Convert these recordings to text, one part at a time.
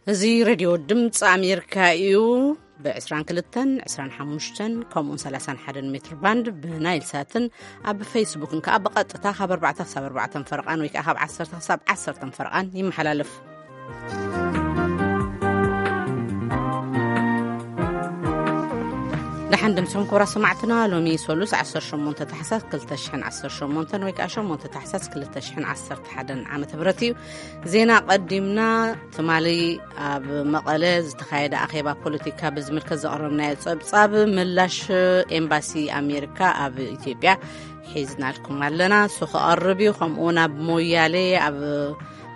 እዚ ሬድዮ ድምፂ ኣሜሪካ እዩ። ብ22፣ 25 ከምኡውን 31 ሜትር ባንድ ብናይል ሳትን ኣብ ፌስቡክን ከዓ ብቐጥታ ካብ ኣርባዕተ ክሳብ ኣርባዕተ ፈረቓን ወይ ከዓ ካብ ዓሰርተ ክሳብ ዓሰርተ ፈረቓን ይመሓላለፍ። ደሓን ድምፅኹም ክቡራት ሰማዕትና። ሎሚ ሰሉስ 18 ታሕሳስ 2018 ወይ ከዓ 8 ታሕሳስ 2011 ዓመተ ምህረት እዩ። ዜና ቀዲምና። ትማሊ ኣብ መቐለ ዝተኻየደ ኣኼባ ፖለቲካ ብዝምልከት ዘቕረብናዮ ጸብጻብ ምላሽ ኤምባሲ ኣሜሪካ ኣብ ኢትዮጵያ ሒዝናልኩም ኣለና። እሱ ክቐርብ እዩ። ከምኡ እውን ኣብ ሞያሌ፣ ኣብ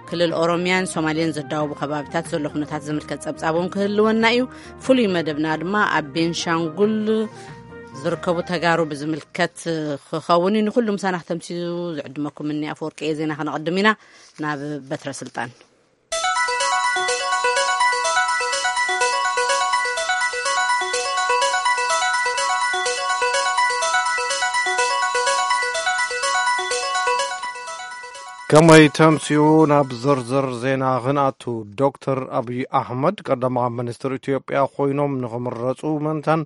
ክልል ኦሮሚያን ሶማሌን ዘዳወቡ ከባቢታት ዘሎ ኩነታት ዝምልከት ጸብጻብ እውን ክህልወና እዩ። ፍሉይ መደብና ድማ ኣብ ቤንሻንጉል ዝርከቡ ተጋሩ ብዝምልከት ክኸውን እዩ። ንኩሉ ምሳና ክተምስዩ ዝዕድመኩም እኒ ኣፈወርቂ እየ። ዜና ከነቐድም ኢና። ናብ በትረ ስልጣን። ከመይ ተምስኡ? ናብ ዝርዝር ዜና ክንኣቱ። ዶክተር ኣብይ ኣሕመድ ቀዳማዊ ሚኒስትር ኢትዮጵያ ኮይኖም ንኽምረፁ ምእንታን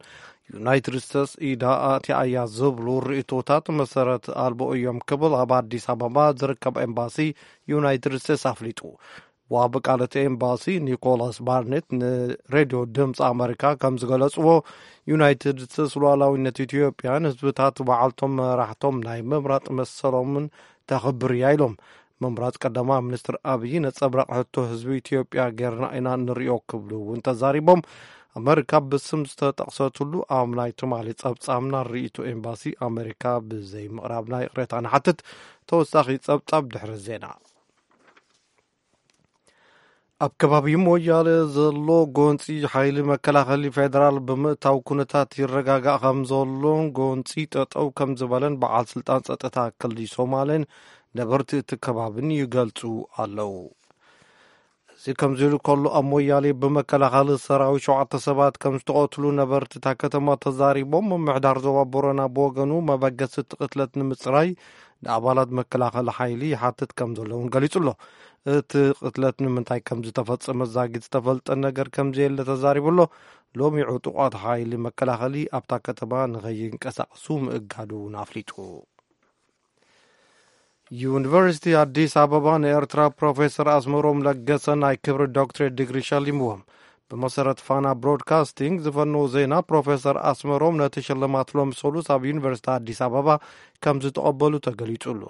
ዩናይትድ ስቴትስ ኢዳ ኣትያ እያ ዝብሉ ርእይቶታት መሰረት ኣልቦ እዮም ክብል ኣብ ኣዲስ ኣበባ ዝርከብ ኤምባሲ ዩናይትድ ስቴትስ ኣፍሊጡ። ዋቢ ቃል እቲ ኤምባሲ ኒኮላስ ባርኔት ንሬድዮ ድምፂ ኣመሪካ ከም ዝገለፅዎ፣ ዩናይትድ ስቴትስ ሉዓላዊነት ኢትዮጵያን ህዝብታት ባዕልቶም መራሕቶም ናይ ምምራጥ መሰሎምን ተኽብር እያ ኢሎም። ምምራፅ ቀዳማዊ ሚኒስትር ኣብይ ነፀብራቕ ሕቶ ህዝቢ ኢትዮጵያ ጌርና ኢና ንሪኦ ክብሉ እውን ተዛሪቦም። ኣመሪካ ብስም ዝተጠቕሰትሉ ኣብ ናይ ትማሊ ጸብጻብና ርእይቶ ኤምባሲ ኣመሪካ ብዘይምቕራብና ይቕሬታ ንሓትት። ተወሳኺ ጸብጻብ ድሕሪ ዜና። ኣብ ከባቢ ሞያሌ ዘሎ ጎንጺ ሓይሊ መከላኸሊ ፌደራል ብምእታው ኩነታት ይረጋጋእ ከም ዘሎን ጎንጺ ጠጠው ከም ዝበለን በዓል ስልጣን ጸጥታ ክልል ሶማሌን ነበርቲ እቲ ከባብን ይገልጹ ኣለዉ። እዚ ከምዚ ኢሉ ከሎ፣ ኣብ ሞያሌ ብመከላኸሊ ሰራዊት ሸውዓተ ሰባት ከም ዝተቐትሉ ነበርቲ እታ ከተማ ተዛሪቦም፣ ምምሕዳር ዞባ ቦረና ብወገኑ መበገሲ እቲ ቅትለት ንምጽራይ ንኣባላት መከላኸሊ ሓይሊ ይሓትት ከም ዘሎ እውን ገሊጹ ኣሎ። እቲ ቅትለት ንምንታይ ከም ዝተፈጸመ ዛጊት ዝተፈልጠ ነገር ከም ዘየለ ተዛሪቡ ኣሎ። ሎሚ ዕጡቓት ሓይሊ መከላኸሊ ኣብታ ከተማ ንኸይንቀሳቐሱ ምእጋዱ እውን ኣፍሊጡ። ዩኒቨርሲቲ ኣዲስ ኣበባ ንኤርትራ ፕሮፌሰር ኣስመሮም ለገሰ ናይ ክብሪ ዶክትሬት ዲግሪ ሸሊምዎም። ብመሰረት ፋና ብሮድካስቲንግ ዝፈነዎ ዜና፣ ፕሮፌሰር ኣስመሮም ነቲ ሽልማት ሎሚ ሰሉስ ኣብ ዩኒቨርሲቲ ኣዲስ ኣበባ ከም ዝተቐበሉ ተገሊጹ ኣሎ።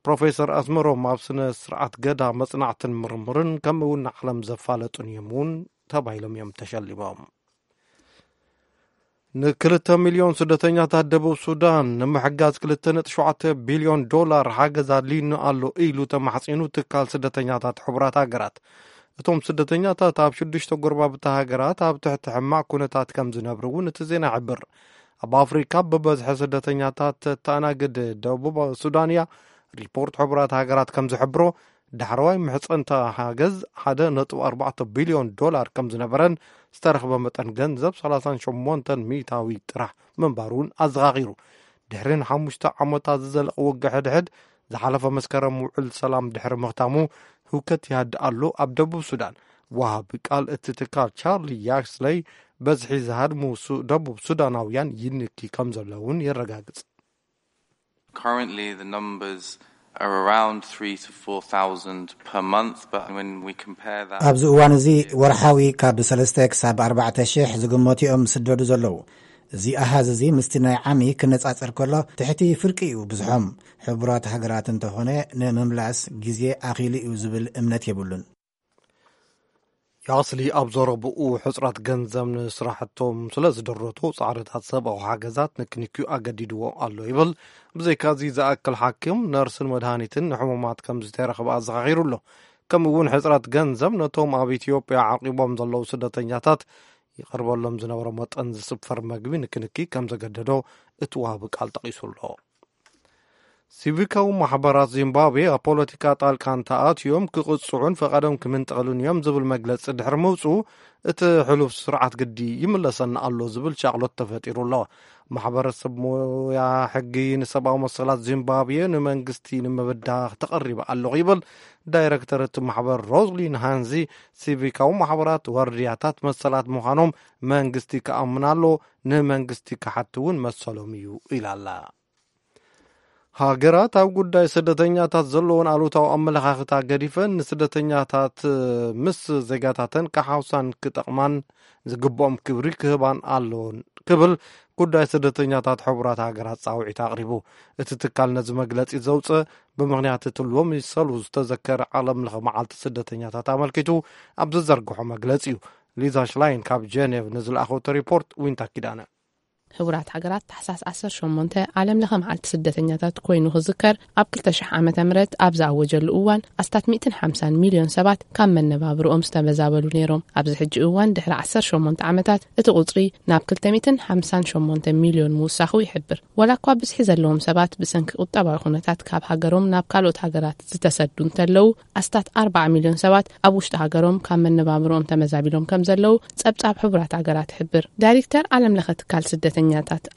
ፕሮፌሰር ኣስመሮም ኣብ ስነ ስርዓት ገዳ መጽናዕትን ምርምርን ከምኡ እውን ንዓለም ዘፋለጡን እዮም እውን ተባሂሎም እዮም ተሸሊሞም። ንክልተ ሚልዮን ስደተኛታት ደቡብ ሱዳን ንምሕጋዝ ክልተ ነጥቢ ሸውዓተ ቢልዮን ዶላር ሓገዝ ኣድልዩኒ ኣሎ ኢሉ ተማሕጺኑ ትካል ስደተኛታት ሕቡራት ሃገራት። እቶም ስደተኛታት ኣብ ሽዱሽተ ጎረባብቲ ሃገራት ኣብ ትሕቲ ሕማቕ ኩነታት ከም ዝነብሩ እውን እቲ ዜና ይሕብር። ኣብ ኣፍሪካ ብበዝሒ ስደተኛታት ተተኣናግድ ደቡብ ሱዳን እያ። ሪፖርት ሕቡራት ሃገራት ከም ዝሕብሮ፣ ዳሕረዋይ ምሕጸንታ ሓገዝ ሓደ ነጥቢ ኣርባዕተ ቢልዮን ዶላር ከም ዝነበረን ዝተረኽበ መጠን ገንዘብ ሰላሳን ሸሞንተን ሚእታዊ ጥራሕ ምንባሩ እውን ኣዘኻኺሩ። ድሕሪ ንሓሙሽተ ዓመታት ዝዘለቐ ውግእ ሕድሕድ፣ ዝሓለፈ መስከረም ውዕል ሰላም ድሕሪ ምኽታሙ፣ ህውከት ይሃድእ ኣሎ ኣብ ደቡብ ሱዳን። ወሃቢ ቃል እቲ ትካል ቻርሊ ያክስለይ፣ በዝሒ ዝሃድሙ ሱ-፣ ደቡብ ሱዳናውያን ይንኪ ከም ዘሎ እውን የረጋግጽ። Currently, the numbers are around three to four thousand per month, but when we compare that ኣብዚ እዋን እዚ ወርሓዊ ካብ ሰለስተ ክሳብ ኣርባዕተ ሽሕ ዝግመቱ እዮም ዝስደዱ ዘለዉ። እዚ ኣሃዝ እዚ ምስቲ ናይ ዓሚ ክነጻጸር ከሎ ትሕቲ ፍርቂ እዩ ብዝሖም። ሕቡራት ሃገራት እንተኾነ ንምምላስ ግዜ ኣኺሉ እዩ ዝብል እምነት የብሉን። ያስሊ ኣብ ዘረብኡ፣ ሕጽረት ገንዘብ ንስራሕቶም ስለ ዝደረቶ፣ ጻዕርታት ሰብኣዊ ሓገዛት ንክንክዩ ኣገዲድዎ ኣሎ ይብል። ብዘይካዚ፣ ዝኣክል ሓኪም፣ ነርስን መድሃኒትን ንሕሙማት ከም ዝተረኽበ ኣዘኻኺሩ ኣሎ። ከምኡ እውን ሕጽረት ገንዘብ ነቶም ኣብ ኢትዮጵያ ዓቂቦም ዘለዉ ስደተኛታት ይቐርበሎም ዝነበረ መጠን ዝስፈር መግቢ ንክንኪ ከም ዘገደዶ እቲ ወሃቢ ቃል ጠቒሱ ኣሎ። ሲቪካዊ ማሕበራት ዚምባብዌ ኣብ ፖለቲካ ጣልቃ እንተኣትዮም ክቕጽዑን ፈቓዶም ክምንጠሉን እዮም ዝብል መግለጺ ድሕሪ ምውጽኡ፣ እቲ ሕሉፍ ስርዓት ግዲ ይምለሰና ኣሎ ዝብል ሻቕሎት ተፈጢሩ ኣሎ። ማሕበረሰብ ሞያ ሕጊ ንሰብኣዊ መሰላት ዚምባብዌ ንመንግስቲ ንምብዳህ ተቐሪበ ኣለኹ ይብል። ዳይረክተር እቲ ማሕበር ሮዝሊን ሃንዚ፣ ሲቪካዊ ማሕበራት ዋርድያታት መሰላት ምዃኖም መንግስቲ ክኣምን ኣሎ፣ ንመንግስቲ ክሓቲ እውን መሰሎም እዩ ኢላ ኣላ። ሃገራት ኣብ ጉዳይ ስደተኛታት ዘለዎን ኣሉታዊ ኣመለኻኽታ ገዲፈን፣ ንስደተኛታት ምስ ዜጋታተን ክሓውሳን ክጠቕማን ዝግብኦም ክብሪ ክህባን ኣለዎን ክብል ጉዳይ ስደተኛታት ሕቡራት ሃገራት ጻውዒት ኣቕሪቡ። እቲ ትካል ነዚ መግለጺ ዘውጽእ ብምኽንያት እቲ ሎሚ ሰሉ ዝተዘከረ ዓለም ለኸ መዓልቲ ስደተኛታት ኣመልኪቱ ኣብ ዝዘርግሖ መግለጺ እዩ። ሊዛ ሽላይን ካብ ጀኔቭ ንዝለኣኸቶ ሪፖርት ዊንታ ኪዳነ። ሕቡራት ሃገራት ታሕሳስ ዓሰርተ ሸሞንተ ዓለም ለኸ መዓልቲ ስደተኛታት ኮይኑ ክዝከር፣ ኣብ ክልተ ሽሕ ዓመተ ምህረት ኣብ ዝኣወጀሉ እዋን ኣስታት ሚእትን ሓምሳን ሚልዮን ሰባት ካብ መነባብርኦም ዝተመዛበሉ ነይሮም። ኣብዚ ሕጂ እዋን ድሕሪ ዓሰርተ ሸሞንተ ዓመታት እቲ ቁጽሪ ናብ ክልተ ሚእትን ሓምሳን ሸሞንተ ሚልዮን ምውሳኹ ይሕብር። ዋላ እኳ ብዝሒ ዘለዎም ሰባት ብሰንኪ ቁጠባዊ ኩነታት ካብ ሃገሮም ናብ ካልኦት ሃገራት ዝተሰዱ እንተለዉ፣ ኣስታት ኣርባዓ ሚልዮን ሰባት ኣብ ውሽጢ ሃገሮም ካብ መነባብርኦም ተመዛቢሎም ከም ዘለዉ ጸብጻብ ሕቡራት ሃገራት ይሕብር። ዳይሬክተር ዓለም ለኸ ትካል ስደተኛታት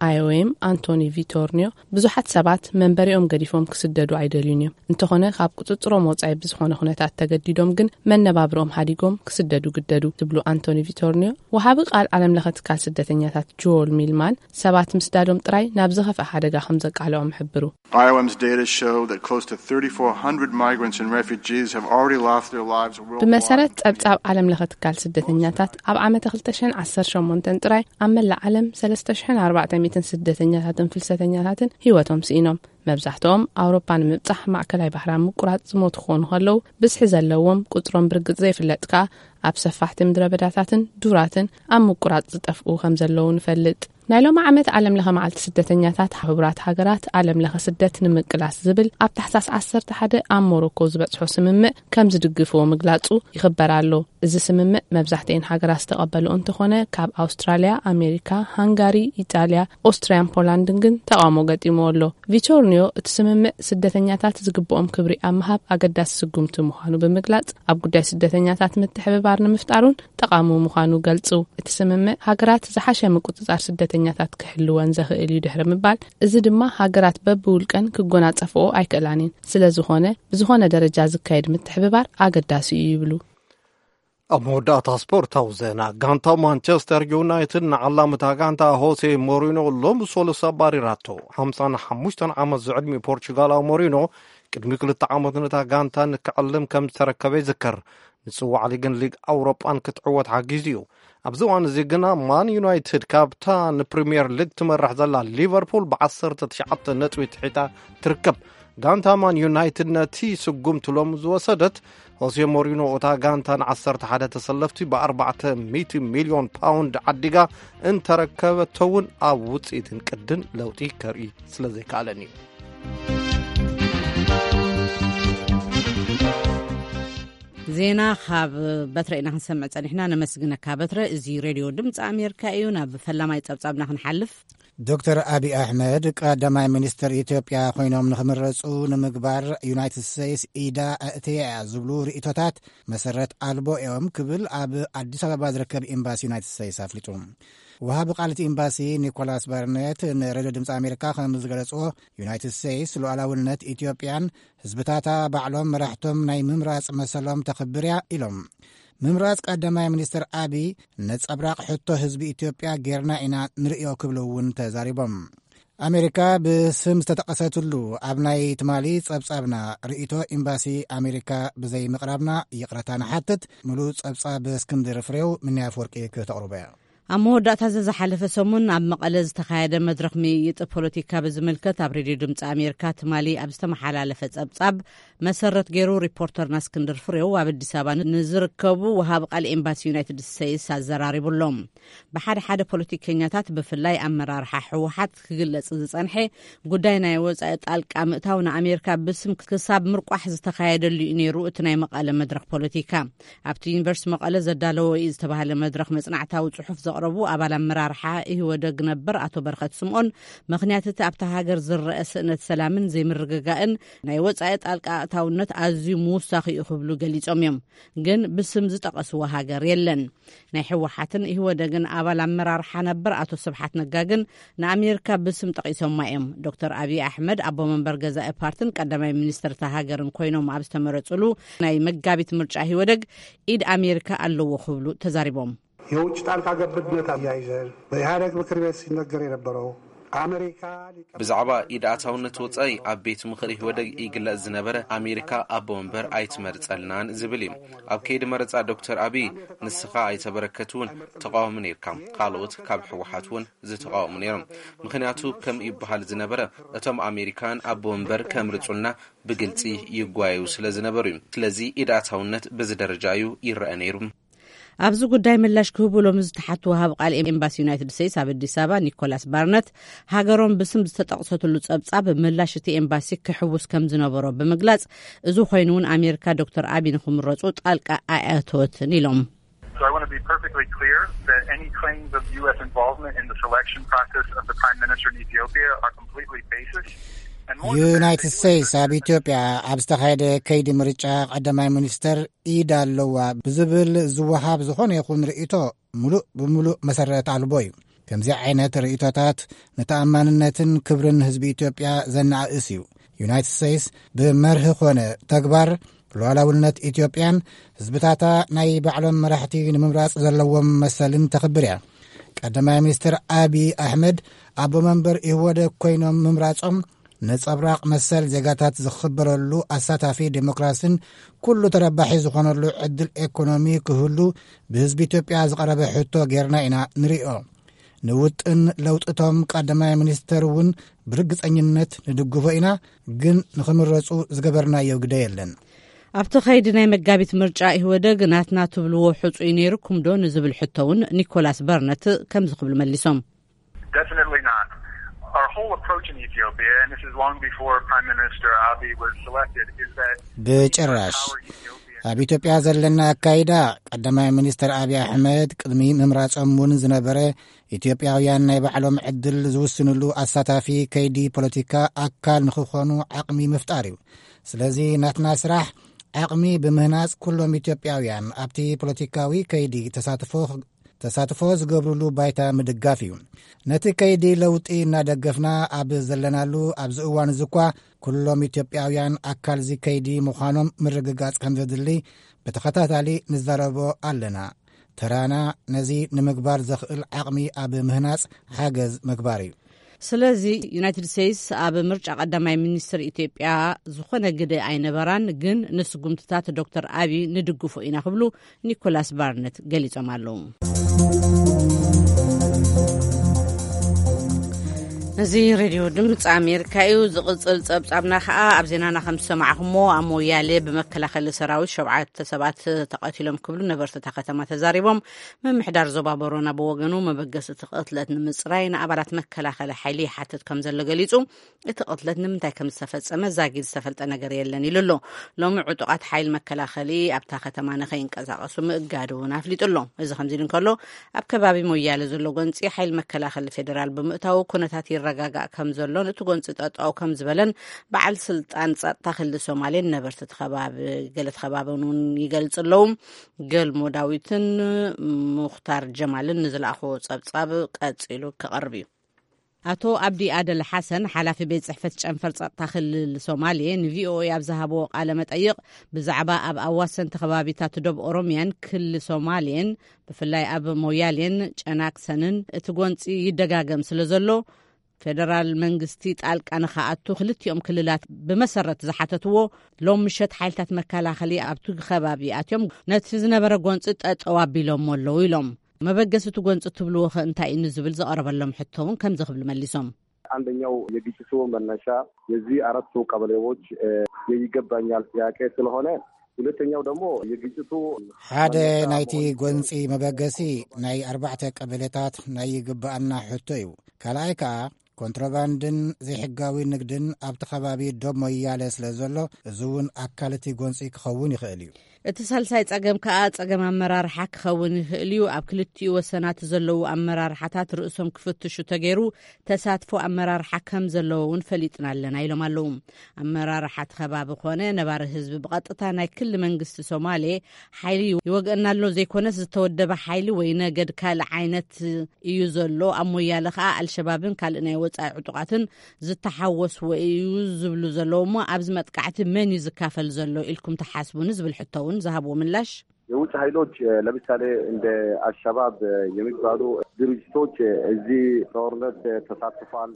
ኣይ ኦ ኤም ኣንቶኒ ቪቶርኒዮ፣ ብዙሓት ሰባት መንበሪኦም ገዲፎም ክስደዱ ኣይደልዩን እዮም። እንተኾነ ካብ ቁጽጽሮም ወጻኢ ብዝኾነ ኩነታት ተገዲዶም ግን መነባብርኦም ሃዲጎም ክስደዱ ግደዱ ትብሉ ኣንቶኒ ቪቶርኒዮ፣ ወሃቢ ቃል ዓለም ለኸ ትካል ስደተኛታት ጆል ሚልማን ሰባት ምስዳዶም ጥራይ ናብ ዝኸፍአ ሓደጋ ከም ዘቃልዖም ይሕብሩ። I O M's data show that close to thirty-four hundred migrants and refugees have already lost their lives worldwide. ብመሰረት ጸብጻብ ዓለም ለኸ ትካል ስደተኛታት፣ ኣብ ዓመተ ክልተ ሽሕን ዓሰርተ ሸሞንተን ጥራይ ኣብ መላእ ዓለም ሰለስተ ሽሕን ኣርባዕተ ሚእትን ስደተኛታትን ፍልሰተኛታትን ህይወቶም ስኢኖም። መብዛሕትኦም ኣውሮፓ ንምብጻሕ ማእከላይ ባሕሪ ኣብ ምቁራጽ ዝሞቱ ክኾኑ ከለዉ፣ ብዝሒ ዘለዎም ቁጽሮም ብርግጽ ዘይፍለጥ ከኣ ኣብ ሰፋሕቲ ምድረ በዳታትን ዱራትን ኣብ ምቁራጽ ዝጠፍኡ ከም ዘለዉ ንፈልጥ። ናይ ሎሚ ዓመት ዓለም ለኸ መዓልቲ ስደተኛታት፣ ሕቡራት ሃገራት ዓለም ለኸ ስደት ንምቅላስ ዝብል ኣብ ታሕሳስ ዓሰርተ ሓደ ኣብ ሞሮኮ ዝበጽሖ ስምምዕ ከም ዝድግፍዎ ምግላጹ ይኽበር ኣሎ። እዚ ስምምዕ መብዛሕትኤን ሃገራት ዝተቐበልኦ እንተኾነ፣ ካብ ኣውስትራልያ፣ ኣሜሪካ፣ ሃንጋሪ፣ ኢጣልያ፣ ኦስትርያን ፖላንድን ግን ተቓውሞ ገጢምዎ ኣሎ። ቪቶርኒዮ፣ እቲ ስምምዕ ስደተኛታት ዝግብኦም ክብሪ ኣብ ምሃብ ኣገዳሲ ስጉምቲ ምዃኑ ብምግላጽ፣ ኣብ ጉዳይ ስደተኛታት ምትሕብባር ንምፍጣር እውን ጠቓሚ ምዃኑ ገልጹ። እቲ ስምምዕ ሃገራት ዝሓሸ ምቁጽጻር ስደተኛታት ክሕልወን ዘኽእል እዩ ድሕሪ ምባል፣ እዚ ድማ ሃገራት በብውልቀን ክጎናጸፍኦ ኣይክእላን እየን። ስለ ዝኾነ፣ ብዝኾነ ደረጃ ዝካየድ ምትሕብባር ኣገዳሲ እዩ ይብሉ። ኣብ መወዳእታ ስፖርታዊ ዜና፣ ጋንታ ማንቸስተር ዩናይትድ ንዓላምታ ጋንታ ሆሴ ሞሪኖ ሎሚ ሰሉስ ኣባሪራቶ። ሓምሳን ሓሙሽተን ዓመት ዝዕድሚ ፖርቹጋላዊ ሞሪኖ ቅድሚ ክልተ ዓመት ነታ ጋንታ ንክዕልም ከም ዝተረከበ ይዝከር። ንጽዋዕ ሊግን ሊግ ኣውሮጳን ክትዕወት ሓጊዙ እዩ። ኣብዚ እዋን እዚ ግና ማን ዩናይትድ ካብታ ንፕሪምየር ሊግ ትመርሕ ዘላ ሊቨርፑል ብዓሰርተ ትሽዓተ ነጥቢ ትሒታ ትርከብ። ጋንታ ማን ዩናይትድ ነቲ ስጉምቲ ሎም ዝወሰደት፣ ሆሴ ሞሪኖ እታ ጋንታ ንዓሰርተ ሓደ ተሰለፍቲ ብኣርባዕተ ሚእቲ ሚልዮን ፓውንድ ዓዲጋ እንተረከበቶ እውን ኣብ ውጽኢትን ቅድን ለውጢ ከርኢ ስለ ዘይከኣለን እዩ። ዜና ካብ በትረ ኢና ክንሰምዕ ጸኒሕና። ነመስግነካ በትረ። እዚ ሬድዮ ድምፂ ኣሜሪካ እዩ። ናብ ፈላማይ ጸብጻብና ክንሓልፍ። ዶክተር ኣቢ ኣሕመድ ቀዳማይ ሚኒስትር ኢትዮጵያ ኮይኖም ንክምረፁ ንምግባር ዩናይትድ ስቴትስ ኢዳ ኣእትያ እያ ዝብሉ ርእይቶታት መሰረት ኣልቦ እዮም ክብል ኣብ ኣዲስ ኣበባ ዝርከብ ኤምባሲ ዩናይትድ ስቴትስ ኣፍሊጡ። ወሃቢ ቃል እቲ ኤምባሲ ኒኮላስ ባርኔት ንሬድዮ ድምፂ ኣሜሪካ ከም ዝገለፅዎ፣ ዩናይትድ ስቴትስ ሉዓላውነት ኢትዮጵያን ህዝብታታ ባዕሎም መራሕቶም ናይ ምምራፅ መሰሎም ተኽብር እያ ኢሎም። ምምራፅ ቀዳማይ ሚኒስትር ኣቢ ነፀብራቕ ሕቶ ህዝቢ ኢትዮጵያ ጌርና ኢና ንርእዮ ክብሉ እውን ተዛሪቦም። ኣሜሪካ ብስም ዝተጠቐሰትሉ ኣብ ናይ ትማሊ ጸብጻብና ርእይቶ ኤምባሲ ኣሜሪካ ብዘይ ምቕራብና ይቕረታ ንሓትት። ምሉእ ጸብጻብ እስክንድር ፍሬው፣ ምንያ ኣፍወርቂ ክተቕርቦ እያ። ኣብ መወዳእታ እዚ ዝሓለፈ ሰሙን ኣብ መቐለ ዝተኻየደ መድረኽ ምይይጥ ፖለቲካ ብዝምልከት ኣብ ሬድዮ ድምፂ ኣሜሪካ ትማሊ ኣብ ዝተመሓላለፈ ጸብጻብ መሰረት ገይሩ ሪፖርተርና እስክንድር ፍሬው ኣብ ኣዲስ ኣበባ ንዝርከቡ ወሃቢ ቃል ኤምባሲ ዩናይትድ ስቴትስ ኣዘራሪቡ ኣሎ። ብሓደ ሓደ ፖለቲከኛታት ብፍላይ ኣመራርሓ ህወሓት ክግለጽ ዝጸንሐ ጉዳይ ናይ ወጻኢ ጣልቃ ምእታው ንኣሜሪካ ብስም ክሳብ ምርቋሕ ዝተኻየደሉ እዩ ነይሩ እቲ ናይ መቐለ መድረኽ ፖለቲካ። ኣብቲ ዩኒቨርሲቲ መቐለ ዘዳለዎ እዩ ዝተባህለ መድረኽ መጽናዕታዊ ጽሑፍ ረቡዕ ኣባል ኣመራርሓ ኢህወደግ ነበር ኣቶ በረኸት ስምኦን፣ ምኽንያት እቲ ኣብታ ሃገር ዝረአ ስእነት ሰላምን ዘይምርግጋእን ናይ ወጻኢ ጣልቃ ኣእታውነት ኣዝዩ ምውሳኽ እዩ ክብሉ ገሊጾም እዮም። ግን ብስም ዝጠቐስዎ ሃገር የለን። ናይ ህወሓትን ኢህወደግን ኣባል ኣመራርሓ ነበር ኣቶ ስብሓት ነጋ ግን ንኣሜሪካ ብስም ጠቒሶማ እዮም። ዶክተር ኣብይ ኣሕመድ ኣቦ መንበር ገዛኢ ፓርትን ቀዳማይ ሚኒስትር እታ ሃገርን ኮይኖም ኣብ ዝተመረጹሉ ናይ መጋቢት ምርጫ ኢህወደግ ኢድ ኣሜሪካ ኣለዎ ክብሉ ተዛሪቦም። የውጭ ጣልቃ ገብነት ኣያይዘን በኢህኣደግ ምክር ቤት ሲነገር የነበረው ኣመሪካ ብዛዕባ ኢድ ኣእታውነት ወጻኢ ኣብ ቤት ምኽሪ ኢህወደግ ይግለጽ ዝነበረ ኣሜሪካ ኣቦ መንበር ኣይትመርጸልናን ዝብል እዩ። ኣብ ከይዲ መረጻ ዶክተር ኣብይ ንስኻ ኣይተበረከት እውን ተቃወሚ ነርካ። ካልኦት ካብ ህወሓት እውን ዝተቃወሙ ነይሮም። ምኽንያቱ ከም ይበሃል ዝነበረ እቶም ኣሜሪካን ኣቦ መንበር ከምርጹልና ብግልጺ ይጓየዩ ስለ ዝነበሩ እዩ። ስለዚ ኢድ ኣእታውነት በዚ ደረጃ እዩ ይረአ ነይሩ። ኣብዚ ጉዳይ ምላሽ ክህቡ ሎሚ ዝተሓቱ ወሃብ ቃል ኤምባሲ ዩናይትድ ስቴትስ ኣብ ኣዲስ ኣበባ ኒኮላስ ባርነት፣ ሃገሮም ብስም ዝተጠቕሰትሉ ጸብጻብ ምላሽ እቲ ኤምባሲ ክሕውስ ከም ዝነበሮ ብምግላጽ፣ እዚ ኮይኑ እውን ኣሜሪካ ዶክተር ኣቢ ንክምረጹ ጣልቃ ኣየእተወትን ኢሎም። So I want to be perfectly clear that any claims of U S involvement in the selection process of the Prime Minister in Ethiopia are completely baseless. And more than that, ዩናይትድ ስቴትስ ኣብ ኢትዮጵያ ኣብ ዝተኻየደ ከይዲ ምርጫ ቀዳማይ ሚኒስተር ኢድ ኣለዋ ብዝብል ዝወሃብ ዝኾነ ይኹን ርእይቶ ምሉእ ብምሉእ መሰረት ኣልቦ እዩ። ከምዚ ዓይነት ርእይቶታት ንተኣማንነትን ክብርን ህዝቢ ኢትዮጵያ ዘነኣእስ እዩ። ዩናይትድ ስቴትስ ብመርህ ኮነ ተግባር ሉዓላውነት ኢትዮጵያን ህዝብታታ ናይ ባዕሎም መራሕቲ ንምምራጽ ዘለዎም መሰልን ተኽብር እያ። ቀዳማይ ሚኒስትር ኣቢ ኣሕመድ ኣቦ መንበር ኢህወደግ ኮይኖም ምምራጾም ነጸብራቕ መሰል ዜጋታት ዝኽበረሉ ኣሳታፊ ዴሞክራሲን ኩሉ ተረባሒ ዝኾነሉ ዕድል ኤኮኖሚ ክህሉ ብህዝቢ ኢትዮጵያ ዝቐረበ ሕቶ ጌርና ኢና ንሪኦ። ንውጥን ለውጥቶም ቀዳማይ ሚኒስተር እውን ብርግጸኝነት ንድግፎ ኢና፣ ግን ንኽምረጹ ዝገበርናዮ ግደ የለን። ኣብቲ ኸይዲ ናይ መጋቢት ምርጫ ኢህወደግ ናትና ትብልዎ ሕጹይ ነይርኩም ዶ ንዝብል ሕቶ እውን ኒኮላስ በርነት ከምዚ ክብሉ መሊሶም። Definitely not. Our whole approach in Ethiopia, and this is long before Prime Minister Abiy was selected, is that ብጭራሽ ኣብ ኢትዮጵያ ዘለና ኣካይዳ ቀዳማይ ሚኒስተር ኣብይ ኣሕመድ ቅድሚ ምምራጾም እውን ዝነበረ ኢትዮጵያውያን ናይ ባዕሎም ዕድል ዝውስንሉ ኣሳታፊ ከይዲ ፖለቲካ ኣካል ንኽኾኑ ዓቕሚ ምፍጣር እዩ። ስለዚ ናትና ስራሕ ዓቕሚ ብምህናጽ ኩሎም ኢትዮጵያውያን ኣብቲ ፖለቲካዊ ከይዲ ተሳትፎ ተሳትፎ ዝገብርሉ ባይታ ምድጋፍ እዩ። ነቲ ከይዲ ለውጢ እናደገፍና ኣብ ዘለናሉ ኣብዚ እዋን እዚ እኳ ኩሎም ኢትዮጵያውያን ኣካል እዚ ከይዲ ምዃኖም ምርግጋጽ ከም ዘድሊ ብተኸታታሊ ንዛረቦ ኣለና። ተራና ነዚ ንምግባር ዘኽእል ዓቕሚ ኣብ ምህናጽ ሓገዝ ምግባር እዩ። ስለዚ ዩናይትድ ስቴትስ ኣብ ምርጫ ቀዳማይ ሚኒስትር ኢትዮጵያ ዝኾነ ግደ ኣይነበራን፣ ግን ንስጉምትታት ዶክተር ኣቢ ንድግፎ ኢና ክብሉ ኒኮላስ ባርነት ገሊጾም ኣለዉ። እዚ ሬድዮ ድምፂ ኣሜሪካ እዩ። ዝቕፅል ፀብፃብና ከዓ ኣብ ዜናና ከም ዝሰማዕኹሞ ኣብ ሞያሌ ብመከላኸሊ ሰራዊት ሸውዓተ ሰባት ተቐቲሎም ክብሉ ነበርቲ እታ ከተማ ተዛሪቦም። ምምሕዳር ዞባ ቦሮና ብወገኑ መበገሲ እቲ ቅትለት ንምፅራይ ንኣባላት መከላኸሊ ሓይሊ ይሓትት ከም ዘሎ ገሊፁ። እቲ ቅትለት ንምንታይ ከም ዝተፈፀመ ዛጊድ ዝተፈልጠ ነገር የለን ኢሉ ኣሎ። ሎሚ ዕጡቓት ሓይሊ መከላኸሊ ኣብታ ከተማ ንኸይንቀሳቐሱ ምእጋዱ እውን ኣፍሊጡ ኣሎ። እዚ ከምዚ ኢሉ እንከሎ ኣብ ከባቢ ሞያለ ዘሎ ጎንፂ ሓይሊ መከላኸሊ ፌደራል ብምእታው ኩነታት ይረጋጋእ ከም ዘሎን እቲ ጎንፂ ጠጠው ከም ዝበለን በዓል ስልጣን ፀጥታ ክልል ሶማሌን ነበርቲ እቲ ከባቢ ገለ እቲ ከባቢ እውን ይገልፁ ኣለዉ። ገልሞ ዳዊትን ሙኽታር ጀማልን ንዝለኣኽዎ ፀብፃብ ቀፂሉ ክቐርብ እዩ። ኣቶ ኣብዲ ኣደል ሓሰን ሓላፊ ቤት ፅሕፈት ጨንፈር ፀጥታ ክልል ሶማሌ ንቪኦኤ ኣብ ዝሃብዎ ቃለ መጠይቕ ብዛዕባ ኣብ ኣዋሰንቲ ከባቢታት ደብ ኦሮሚያን ክልል ሶማሌን ብፍላይ ኣብ ሞያሌን ጨናክሰንን እቲ ጎንፂ ይደጋገም ስለ ዘሎ ፌደራል መንግስቲ ጣልቃ ንኸኣቱ ክልቲኦም ክልላት ብመሰረት ዝሓተትዎ ሎም ምሸት ሓይልታት መከላኸሊ ኣብቲ ከባቢ ኣትዮም ነቲ ዝነበረ ጎንፂ ጠጠው ኣቢሎሞ ኣለዉ ኢሎም። መበገሲ እቲ ጎንፂ ትብልዎ ኸ እንታይ እዩ ንዝብል ዝቐረበሎም ሕቶ እውን ከምዚ ክብሉ መሊሶም። አንደኛው የግጭቱ መነሻ የዚህ አራቱ ቀበሌዎች የይገባኛል ጥያቄ ስለሆነ ሁለተኛው ደግሞ የግጭቱ ሓደ ናይቲ ጎንፂ መበገሲ ናይ ኣርባዕተ ቀበሌታት ናይ ይግባኣና ሕቶ እዩ። ካልኣይ ከዓ ኮንትሮባንድን ዘይሕጋዊ ንግድን ኣብቲ ከባቢ ዶብ ሞያለ ስለ ዘሎ እዚ እውን ኣካል እቲ ጎንፂ ክኸውን ይኽእል እዩ። እቲ ሳልሳይ ጸገም ከኣ ጸገም ኣመራርሓ ክኸውን ይኽእል እዩ። ኣብ ክልቲኡ ወሰናት ዘለዉ ኣመራርሓታት ርእሶም ክፍትሹ ተገይሩ፣ ተሳትፎ ኣመራርሓ ከም ዘለዎ እውን ፈሊጥና ኣለና ኢሎም ኣለዉ። ኣመራርሓ እቲ ከባቢ ኮነ ነባሪ ህዝቢ ብቐጥታ ናይ ክሊ መንግስቲ ሶማሌ ሓይሊ ይወግአና ኣሎ ዘይኮነስ፣ ዝተወደበ ሓይሊ ወይ ነገድ ካልእ ዓይነት እዩ ዘሎ። ኣብ ሞያለ ከኣ ኣልሸባብን ካልእ ናይ ወጻኢ ዕጡቓትን ዝተሓወስዎ እዩ ዝብሉ ዘለዉ እሞ፣ ኣብዚ መጥቃዕቲ መን እዩ ዝካፈል ዘሎ ኢልኩም ትሓስቡ ንዝብል ሕቶ እውን ዝሃብዎ ምላሽ፣ የውጭ ኃይሎች ለምሳሌ እንደ አልሸባብ የሚባሉ ድርጅቶች እዚህ ጦርነት ተሳትፏል።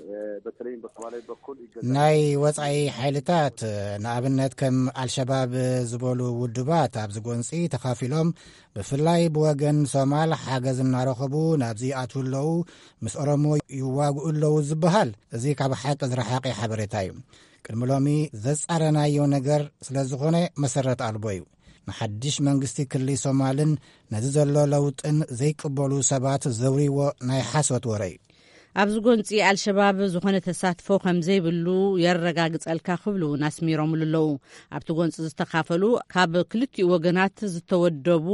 በተለይም በሶማሌ በኩል ይገዛል። ናይ ወጻኢ ሓይልታት፣ ንኣብነት ከም ኣልሸባብ ዝበሉ ውድባት ኣብዚ ጎንጺ ተኻፊሎም፣ ብፍላይ ብወገን ሶማል ሓገዝ እናረኸቡ ናብዚ ይኣትዉ ኣለዉ፣ ምስ ኦሮሞ ይዋግኡ ኣለዉ ዝበሃል፣ እዚ ካብ ሓቂ ዝረሓቐ ሓበሬታ እዩ። ቅድሚ ሎሚ ዘጻረናዮ ነገር ስለ ዝኾነ መሰረት ኣልቦ እዩ። ንሓድሽ መንግስቲ ክሊ ሶማልን ነዚ ዘሎ ለውጥን ዘይቅበሉ ሰባት ዘውሪዎ ናይ ሓሶት ወረ እዩ። ኣብዚ ጎንጺ ኣልሸባብ ዝኾነ ተሳትፎ ከም ዘይብሉ የረጋግጸልካ ክብሉ እውን ኣስሚሮምሉ ኣለዉ። ኣብቲ ጎንጺ ዝተኻፈሉ ካብ ክልቲኡ ወገናት ዝተወደቡ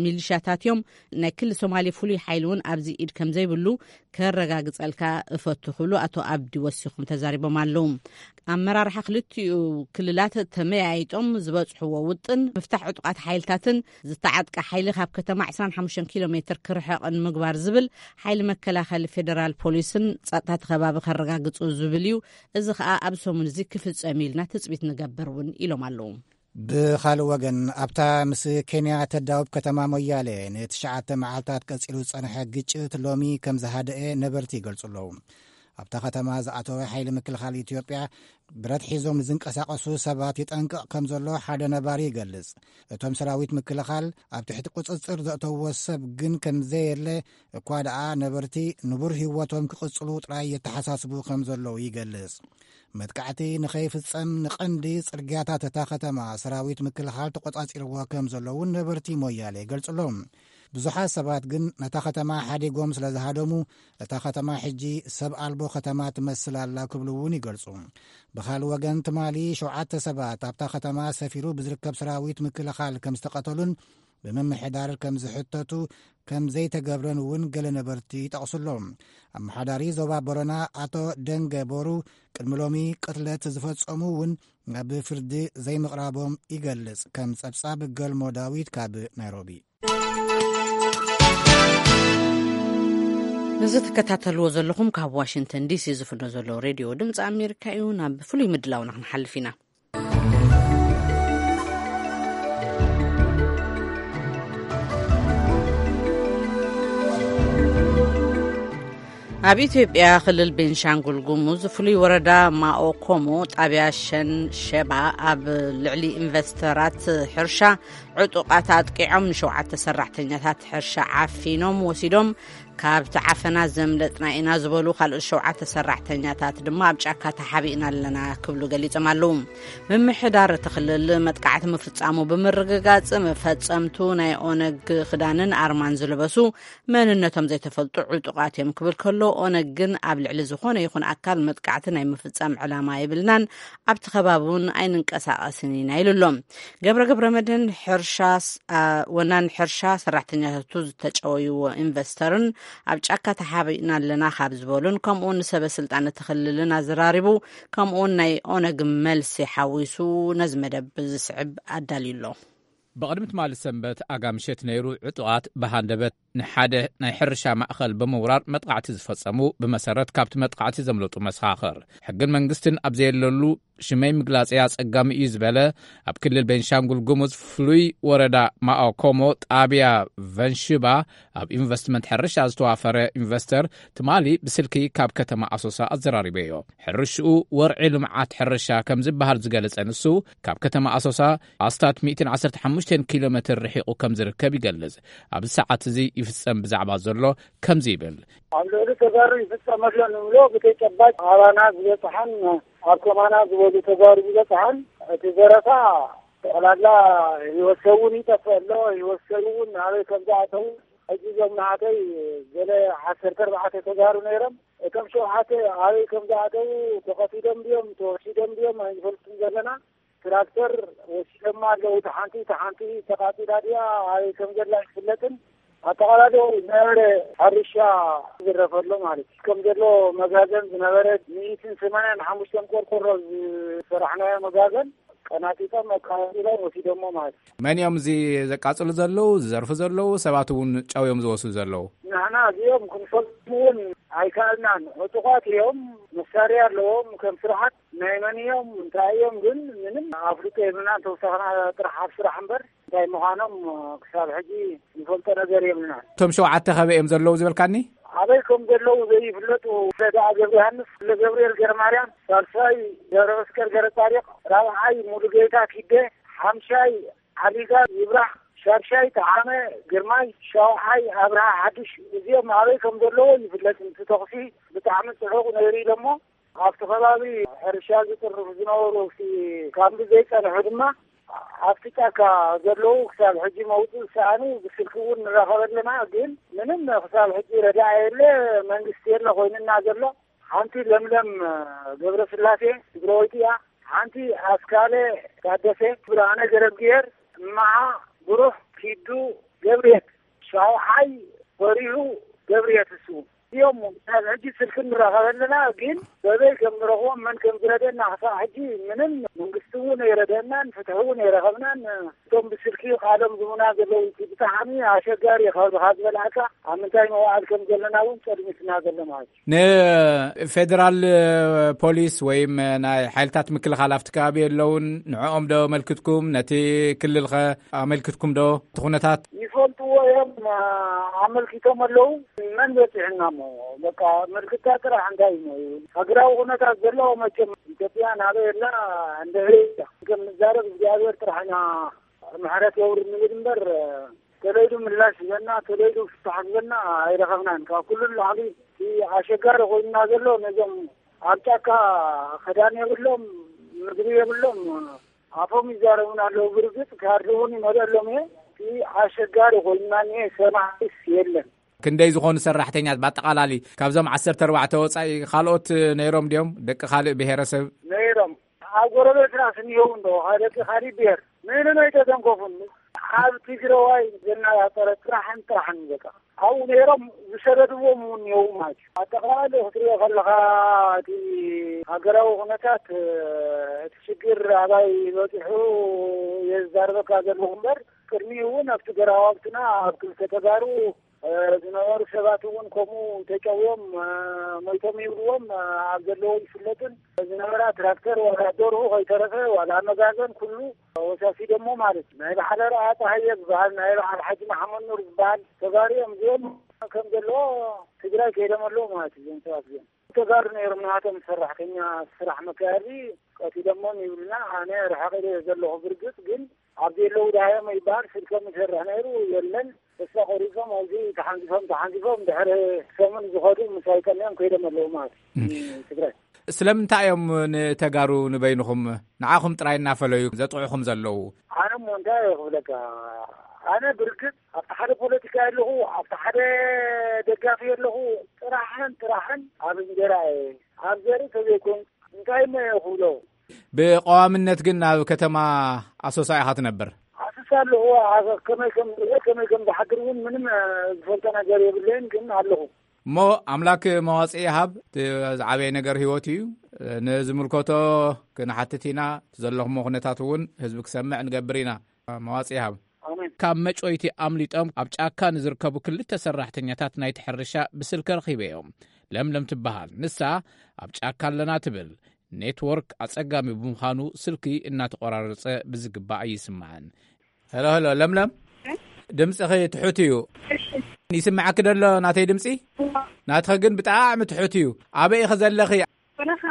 ሚሊሻታት እዮም። ናይ ክሊ ሶማሌ ፍሉይ ሓይሊ እውን ኣብዚ ኢድ ከም ዘይብሉ ከረጋግጸልካ እፈቱ ክብሉ ኣቶ ኣብዲ ወሲኹም ተዛሪቦም ኣለዉ። ኣመራርሓ ክልቲኡ ክልላት ተመያይጦም ዝበጽሕዎ ውጥን ምፍታሕ ዕጡቓት ሓይልታትን ዝተዓጥቀ ሓይሊ ካብ ከተማ ዕስራን ሓሙሽተን ኪሎ ሜትር ክርሕቕን ምግባር ዝብል ሓይሊ መከላኸሊ ፌደራል ፖሊስን ጸጥታ እቲ ከባቢ ከረጋግጹ ዝብል እዩ። እዚ ከኣ ኣብ ሰሙን እዚ ክፍጸም ኢልና ትጽቢት ንገብር እውን ኢሎም ኣለዉ። ብኻልእ ወገን፣ ኣብታ ምስ ኬንያ ተዳውብ ከተማ ሞያሌ ንትሽዓተ መዓልታት ቀጺሉ ዝጸንሐ ግጭት ሎሚ ከም ዝሃደኤ ነበርቲ ይገልጹ ኣለዉ። ኣብታ ከተማ ዝኣተወ ሓይሊ ምክልኻል ኢትዮጵያ ብረት ሒዞም ንዝንቀሳቐሱ ሰባት ይጠንቅቕ ከም ዘሎ ሓደ ነባሪ ይገልጽ። እቶም ሰራዊት ምክልኻል ኣብ ትሕቲ ቁጽጽር ዘእተውዎ ሰብ ግን ከም ዘየለ እኳ ደኣ ነበርቲ ንቡር ህይወቶም ክቕጽሉ ጥራይ የተሓሳስቡ ከም ዘለዉ ይገልጽ። መጥቃዕቲ ንኸይፍጸም ንቐንዲ ጽርግያታት እታ ከተማ ሰራዊት ምክልኻል ተቖጻጺርዎ ከም ዘሎ እውን ነበርቲ ሞያሌ ይገልጹ ኣለዉ። ብዙሓት ሰባት ግን ነታ ከተማ ሓዲጎም ስለ ዝሃደሙ፣ እታ ከተማ ሕጂ ሰብ ኣልቦ ከተማ ትመስል ኣላ ክብሉ እውን ይገልጹ። ብኻልእ ወገን፣ ትማሊ ሸውዓተ ሰባት ኣብታ ከተማ ሰፊሩ ብዝርከብ ሰራዊት ምክልኻል ከም ዝተቐተሉን ብምምሕዳር ከም ዝሕተቱ ከም ዘይተገብረን እውን ገለ ነበርቲ ይጠቕሱ ኣለዉ። ኣመሓዳሪ ዞባ ቦረና ኣቶ ደንገ ቦሩ ቅድሚ ሎሚ ቅትለት ዝፈጸሙ እውን ናብ ፍርዲ ዘይምቕራቦም ይገልጽ። ከም ጸብጻብ ገልሞ ዳዊት ካብ ናይሮቢ። እዚ ትከታተልዎ ዘለኹም ካብ ዋሽንግተን ዲሲ ዝፍኖ ዘሎ ሬድዮ ድምፂ ኣሜሪካ እዩ። ናብ ፍሉይ ምድላውና ክንሓልፍ ኢና። ኣብ ኢትዮጵያ ክልል ቤንሻንጉል ጉሙዝ ፍሉይ ወረዳ ማኦ ኮሞ ጣብያ ሸን ሸባ ኣብ ልዕሊ ኢንቨስተራት ሕርሻ ዕጡቓት ኣጥቂዖም ንሸውዓተ ሰራሕተኛታት ሕርሻ ዓፊኖም ወሲዶም። ካብቲ ዓፈና ዘምለጥና ኢና ዝበሉ ካልኦት ሸውዓተ ሰራሕተኛታት ድማ ኣብ ጫካ ተሓቢእና ኣለና ክብሉ ገሊጾም ኣለዉ። ምምሕዳር እቲ ክልል መጥቃዕቲ ምፍጻሙ ብምርግጋጽ፣ መፈጸምቱ ናይ ኦነግ ክዳንን ኣርማን ዝለበሱ መንነቶም ዘይተፈልጡ ዕጡቓት እዮም ክብል ከሎ፣ ኦነግ ግን ኣብ ልዕሊ ዝኾነ ይኹን ኣካል መጥቃዕቲ ናይ ምፍጻም ዕላማ የብልናን፣ ኣብቲ ከባቢ እውን ኣይንንቀሳቐስን ኢና ኢሉ ኣሎ። ገብረ ገብረ መድህን ሕርሻ ስ-፣ ኣ፣ ወናን ሕርሻ ሰራሕተኛታቱ ዝተጨወይዎ ኢንቨስተርን ኣብ ጫካ ተሓቢእና ኣለና ካብ ዝበሉን፣ ከምኡውን ንሰበ ስልጣን እቲ ክልልን ኣዘራሪቡ፣ ከምኡውን ናይ ኦነግ መልሲ ሓዊሱ ነዚ መደብ ዝስዕብ ኣዳልዩ ኣሎ። ብቕድሚ ትማሊ ሰንበት ኣጋ ምሸት ነይሩ ዕጡቓት ብሃንደበት ንሓደ ናይ ሕርሻ ማእኸል ብምውራር መጥቓዕቲ ዝፈጸሙ፣ ብመሰረት ካብቲ መጥቓዕቲ ዘምለጡ መሰኻኽር፣ ሕግን መንግስትን ኣብ ዘየለሉ ሽመይ ምግላጸይ ኣጸጋሚ እዩ ዝበለ፣ ኣብ ክልል ቤንሻንጉል ጉሙዝ ፍሉይ ወረዳ ማኦኮሞ ጣብያ ቨንሽባ ኣብ ኢንቨስትመንት ሕርሻ ዝተዋፈረ ኢንቨስተር ትማሊ ብስልኪ ካብ ከተማ ኣሶሳ ኣዘራሪበዮ። ሕርሽኡ ወርዒ ልምዓት ሕርሻ ከም ዝበሃል ዝገለጸ ንሱ፣ ካብ ከተማ ኣሶሳ ኣስታት ሚእትን ዓሰርተ ሓሙሽተን ኪሎ ሜትር ርሒቑ ከም ዝርከብ ይገልጽ። ኣብዚ ሰዓት እዚ ይፍጸም ብዛዕባ ዘሎ ከምዚ ይብል። ኣብ ልዕሊ ተጋሩ ይፍጸም ኣሎ ንብሎ ብተጨባጭ ኣባና ዝበጽሓን ኣብ ከማና ዝበሉ ተጋሩ ዝበጽሓን፣ እቲ ዘረፋ ጠቕላላ ህይወት ሰብ እውን ይጠፍእ ኣሎ። ህይወት ሰብ እውን ኣበይ ከም ዝኣተዉ፣ ሕጂ እዞም ናሃተይ ገለ ዓሰርተ ኣርባዕተ ተጋሩ ነይሮም። እቶም ሸውዓተ ኣበይ ከም ዝኣተዉ፣ ተኸፊሎም ድዮም ተወሲዶም ድዮም ኣይንፈልጥን ዘለና። ትራክተር ወሲዶማ ኣለዉ። እቲ ሓንቲ፣ እቲ ሓንቲ ተቓጺላ ድያ፣ ኣበይ ከም ዘላ ኣይፍለጥን። ኣጠቓላሊ ዝነበረ ሕርሻ ዝረፈሎ ማለት እዩ። ከም ዘሎ መጋዘን ዝነበረ ሚእትን ሰማንያን ሓሙሽተን ቆርቆሮ ዝሰራሕናዮ መጋዘን ቀናጢጦም ኣቃጺሎም ወሲዶሞ ማለት እዩ። መን እዮም እዚ ዘቃጽሉ ዘለዉ፣ ዝዘርፉ ዘለዉ? ሰባት እውን ጨው እዮም ዝወስዱ ዘለዉ። ንሕና እዚኦም ክንፈልጦም እውን ኣይከኣልናን። ዕጡቓት እዮም፣ መሳርያ ኣለዎም። ከም ስርዓት ናይ መን እዮም፣ እንታይ እዮም ግን ምንም ኣፍልጦ የብልናን። ተወሳኽና ጥራሕ ኣብ ስራሕ እምበር እንታይ ምዃኖም ክሳብ ሕጂ ንፈልጦ ነገር የብልናን። እቶም ሸውዓተ ኸበይ እዮም ዘለዉ ዝበልካኒ? ኣበይ ከም ዘለዉ ዘይፍለጡ ረዳኣ ገብረ ዮሃንስ፣ ገብርኤል ገረማርያም፣ ሳልሳይ ገብረ መስቀል ገረ ጻዲቕ፣ ራብዓይ ሙሉጌታ ኪደ፣ ሓምሻይ ዓሊጋ ይብራህ፣ ሻድሻይ ጠዓመ ግርማይ፣ ሻውዓይ ኣብርሃ ሓድሽ። እዚኦም ኣበይ ከም ዘለዉ ይፍለጥን። እቲ ተኹሲ ብጣዕሚ ጽዑቕ ነይሩ ኢሎሞ። ኣብቲ ከባቢ ሕርሻ ዝጥርፉ ዝነበሩ፣ እቲ ካምቢ ዘይጸንሑ ድማ ኣብቲ ጫካ ዘለዉ ክሳብ ሕጂ መውጽኢ ዝሰኣኑ ብስልኪ እውን ንራኸብ ኣለና። ግን ምንም ክሳብ ሕጂ ረዳእ የለ፣ መንግስቲ የለ ኮይንና ዘሎ። ሓንቲ ለምለም ገብረስላሴ ትግራወይቲ እያ። ሓንቲ ኣስካለ ታደሰ፣ ብርሃነ ገረብግሄር፣ እማሃ ብሩህ፣ ኪዱ ገብርየት፣ ሻውዓይ በሪሁ ገብርየት፣ እሱ እዮም። ካብ ሕጂ ስልኪ ንራኸብ ኣለና፣ ግን በበይ ከም ንረኽቦም መን ከም ዝረደና ክሳብ ሕጂ ምንም፣ መንግስቲ እውን ኣይረደናን፣ ፍትሒ እውን ኣይረኸብናን። እቶም ብስልኪ ቃሎም ዝቡና ዘለዉ፣ እቲ ብጣዕሚ ኣሸጋሪ ካብ ካብ ዝበልዓካ ኣብ ምንታይ መዋዕል ከም ዘለና እውን ጸልሚትና ዘሎ ማለት እዩ። ንፌደራል ፖሊስ ወይም ናይ ሓይልታት ምክልኻል ኣብቲ ከባቢ የለውን? ንዕኦም ዶ ኣመልክትኩም? ነቲ ክልልኸ ኣመልክትኩም ዶ እቲ ኩነታት? ይፈልጥዎ እዮም፣ ኣመልኪቶም ኣለዉ። መን በፂሕና እሞ? በቃ ምልክታ ጥራሕ እንታይ እዩ? ሃገራዊ ኩነታት ዘለዎ መቸም ኢትዮጵያ ናበይ ኣላ? እንደ ከም ንዛረብ እግዚኣብሔር ጥራሕ ኢና ምሕረት የውርድ ንብል እምበር፣ ተለይዱ ምላሽ ዝበና፣ ተለይዱ ፍታሕ ዝበና ኣይረኸብናን። ካብ ኩሉ ንላዕሊ እቲ ኣሸጋሪ ኮይንና ዘሎ ነዞም ኣብ ጫካ ክዳን የብሎም፣ ምግቢ የብሎም፣ ኣፎም ይዛረቡና ኣለዉ። ብርግጽ ካርድ እውን ይመልአሎም እየ። እቲ ኣሸጋሪ ኮይንና እኒሄ፣ ሰማዕስ የለን። ክንደይ ዝኾኑ ሰራሕተኛት ብኣጠቓላሊ ካብዞም ዓሰርተ ኣርባዕተ ወጻኢ ካልኦት ነይሮም ድዮም? ደቂ ካልእ ብሄረሰብ? ነይሮም። ኣብ ጎረቤትና ስንየው እንዶ፣ ደቂ ካሊእ ብሄር ምንም ኣይተተንከፉን። ኣብ ትግራዋይ ዘነጣጠረ ጥራሕን ጥራሕን በቃ። ኣብኡ ነይሮም ዝሰደድዎም እውን እኒአው ማለት እዩ። ኣጠቓላሊ ክትሪኦ ከለኻ እቲ ሃገራዊ ኩነታት፣ እቲ ሽግር ኣባይ በፂሑ የዛርበካ ዘለኹ እምበር፣ ቅድሚኡ እውን ኣብቲ ገራዋብትና ኣብ ክልተ ተጋሩ ዝነበሩ ሰባት እውን ከምኡ ተጨውዮም ሞይቶም ይብልዎም ኣብ ዘለዎ ይፍለጥን። ዝነበራ ትራክተር ዋላ ደርሁ ከይተረፈ ዋላ መጋዘን ኩሉ ወሳሲዶሞ ማለት እዩ። ናይ በዓል ኣርኣያ ጸሃየ ዝበሃል፣ ናይ በዓል ሓጂ መሓመድ ኑር ዝበሃል ተጋሩ እዮም። እዚኦም ከም ዘለዎ ትግራይ ከይዶም ኣለዉ ማለት እዩ። እዞም ሰባት እዚኦም ተጋሩ ነይሮም፣ ናቶም ሰራሕተኛ ስራሕ መካየዲ ቀቲሎሞም ይብሉና። ኣነ ርሕቕ ኢለ ዘለኹ። ብርግጽ ግን ኣብዚ የለዉ ደሃዮም ይበሃል። ስልኮም ይሰርሕ ነይሩ የለን። ተስፋ ቆሪጾም ኣብዚ ተሓንጊፎም ተሓንጊፎም ድሕሪ ሰሙን ዝኸዱ ምስ ኣይቀንዮም ከይዶም ኣለዉ ማለት እዩ። እም። ትግራይ። ስለምንታይ እዮም ንተጋሩ ንበይንኹም ንዓኹም ጥራይ እናፈለዩ ዘጥዕኹም ዘለዉ? ኣነ እሞ እንታይ እየ ክብለካ? ኣነ ብርግጽ ኣብቲ ሓደ ፖለቲካ ኣለኹ፣ ኣብቲ ሓደ ደጋፊ ኣለኹ። ጥራሕን ጥራሕን ኣብ እንጀራ እየ፣ ኣብ ዘርኢ ተዘይኮይኑ እንታይ እሞ እየ ክብሎ? ብቐዋምነት ግን ኣብ ከተማ ኣሶሳ ኢኻ ትነብር? ኣሶሳ ኣለኹ። ኣብ ከመይ ከም ዝውዕል፣ ከመይ ከም ዝሓድር እውን ምንም፣ እ፣ ዝፈልጦ ነገር የብለይን፣ ግን ኣለኹ። እሞ ኣምላክ መዋጽኢ ይሃብ። እቲ ዝዓበየ ነገር ህይወት እዩ። ንዝምልከቶ ክንሓትት ኢና። ዘለኹሞ ኩነታት እውን ህዝቢ ክሰምዕ ንገብር ኢና። መዋጽኢ ይሃብ። ኣሜን። ካብ መጭወይቲ ኣምሊጦም ኣብ ጫካ ንዝርከቡ ክልተ ሰራሕተኛታት ናይቲ ሕርሻ ብስልኪ ረኺበዮም። ለምለም ትበሃል። ንሳ ኣብ ጫካ ኣለና ትብል። ኔትወርክ ኣጸጋሚ ብምዃኑ ስልኪ እናተቖራረጸ ብዝግባእ ኣይስማዕን። ሄሎ፣ ሄሎ፣ ለምለም። ድምፅኺ ትሑት እዩ። እሺ። ይስምዓኪ ደሎ ናተይ ድምፂ? እዋ። ናትኺ ግን ብጣዕሚ ትሑት እዩ። ኣበይ ኢኺ ዘለኺ? በረኻ።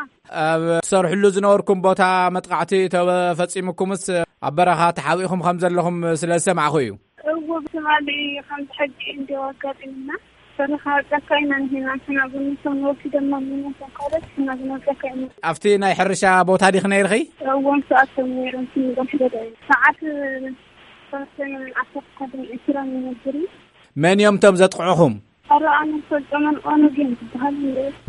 ኣብ ትሰርሕሉ ዝነበርኩም ቦታ መጥቃዕቲ ተፈፂሙኩምስ ኣብ በረኻ ተሓቢእኹም ከም ዘለኹም ስለ ዝሰማዕኹ እዩ። እዎ፣ ብትማሊ ከምዚ ሕጂ እንዲዮ ኣጋጢሙና። በረኻ ጫካ ኢና ንሂና፣ ንሕና ግን ንሶም ወሲዶምና፣ ንሶም ካልኦት፣ ንሕና ግን ኣብ ጫካ ኢና። ኣብቲ ናይ ሕርሻ ቦታ ዲኺ ነይርኺ? እዎ፣ ንሳቶም ነይሮም፣ ክንዶም ሕደዳ እዩ። ሰዓት ሰለስተ ዓሰርተ ሓደን ዕስራን ይነብር እዩ። መን እዮም እቶም ዘጥቕዑኹም? ኣረ፣ ኣነ ዝፈልጦም ኦነግ እዮም ዝበሃሉ።